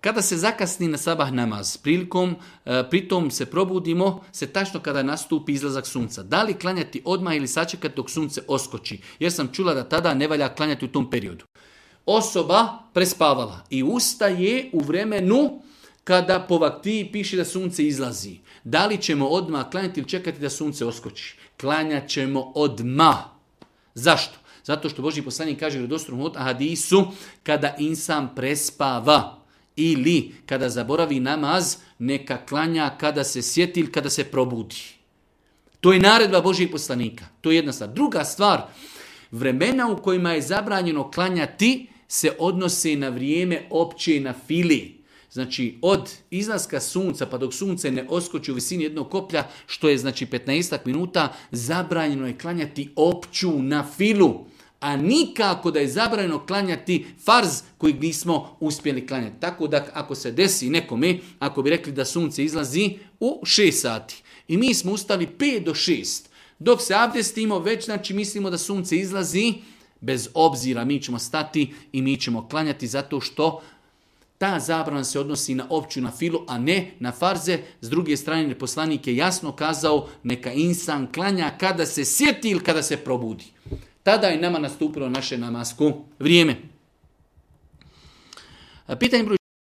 Kada se zakasni na sabah namaz, pritom se probudimo se tačno kada nastupi izlazak sunca. Da li klanjati odmah ili sačekati dok sunce oskoči? Jer sam čula da tada ne valja klanjati u tom periodu. Osoba prespavala i ustaje u vremenu kada po vaktiji piše da sunce izlazi. Da li ćemo odmah klanjati ili čekati da sunce oskoči? Klanjat ćemo odmah. Zašto? Zato što Božji poslanik kaže u vjerodostojnom hadisu, kada insan prespava ili kada zaboravi namaz, neka klanja kada se sjeti ili kada se probudi. To je naredba Božjih poslanika. To je jedna stvar. Druga stvar, vremena u kojima je zabranjeno klanjati se odnose na vrijeme opće na fili. Znači od izlaska sunca pa dok sunce ne oskoči u visini jednog koplja, što je znači 15 minuta, zabranjeno je klanjati opću na filu. A nikako da je zabranjeno klanjati farz kojeg nismo uspjeli klanjati. Tako da ako se desi nekome, ako bi rekli da sunce izlazi u 6 sati i mi smo ustali 5 do 6, dok se abdestimo već znači mislimo da sunce izlazi, bez obzira mi ćemo stati i mi ćemo klanjati zato što ta zabrana se odnosi na opću na filu, a ne na farze. S druge strane, poslanik je jasno kazao neka insan klanja kada se sjeti ili kada se probudi. Tada je nama nastupilo naše namasko vrijeme. Pitanje broj